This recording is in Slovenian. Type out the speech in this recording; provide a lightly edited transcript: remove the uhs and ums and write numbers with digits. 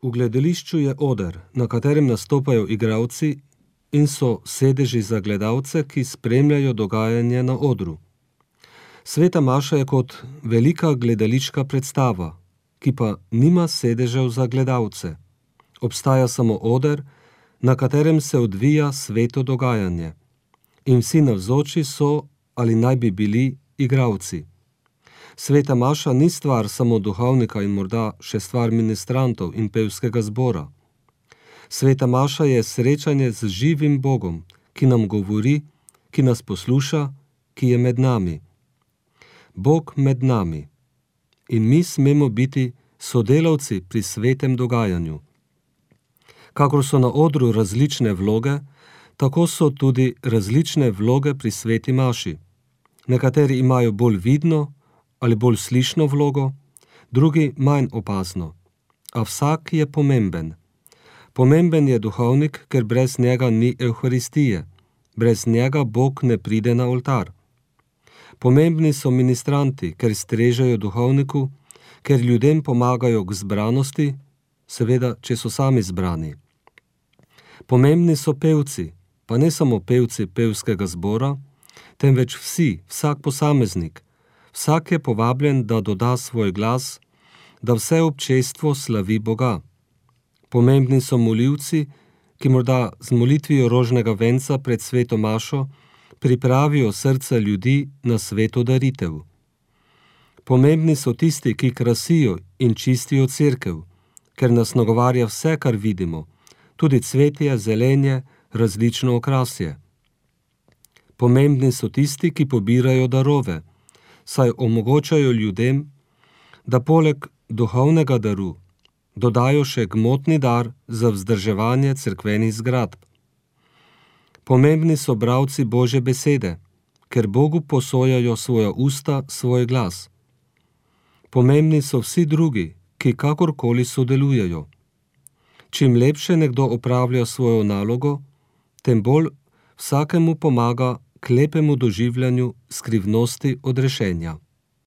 V gledališču je oder, na katerem nastopajo igralci in so sedeži za gledalce, ki spremljajo dogajanje na odru. Sveta maša je kot velika gledališka predstava, ki pa nima sedežev za gledalce. Obstaja samo oder, na katerem se odvija sveto dogajanje. In vsi navzoči so ali naj bi bili igralci. Sveta maša ni stvar samo duhovnika in morda še stvar ministrantov in pevskega zbora. Sveta maša je srečanje z živim Bogom, ki nam govori, ki nas posluša, ki je med nami. Bog med nami. In mi smemo biti sodelavci pri svetem dogajanju. Kakor so na odru različne vloge, tako so tudi različne vloge pri sveti maši. Nekateri imajo bolj vidno ali bolj slišno vlogo, drugi manj opazno. A vsak je pomemben. Pomemben je duhovnik, ker brez njega ni evharistije. Brez njega Bog ne pride na oltar. Pomembni so ministranti, ker strežejo duhovniku, ker ljudem pomagajo k zbranosti, seveda, če so sami zbrani. Pomembni so pevci, pa ne samo pevci pevskega zbora, temveč vsi, vsak posameznik. Vsak je povabljen, da doda svoj glas, da vse občestvo slavi Boga. Pomembni so molilci, ki morda z molitvijo rožnega venca pred sveto mašo pripravijo srca ljudi na sveto daritev. Pomembni so tisti, ki krasijo in čistijo cerkev, ker nas nagovarja vse, kar vidimo, tudi cvetje, zelenje, različno okrasje. Pomembni so tisti, ki pobirajo darove, saj omogočajo ljudem, da poleg duhovnega daru dodajo še gmotni dar za vzdrževanje cerkvenih zgradb. Pomembni so bralci Božje besede, ker Bogu posojajo svoja usta, svoj glas. Pomembni so vsi drugi, ki kakorkoli sodelujejo. Čim lepše nekdo opravlja svojo nalogo, tem bolj vsakemu pomaga k lepemu doživljanju skrivnosti odrešenja.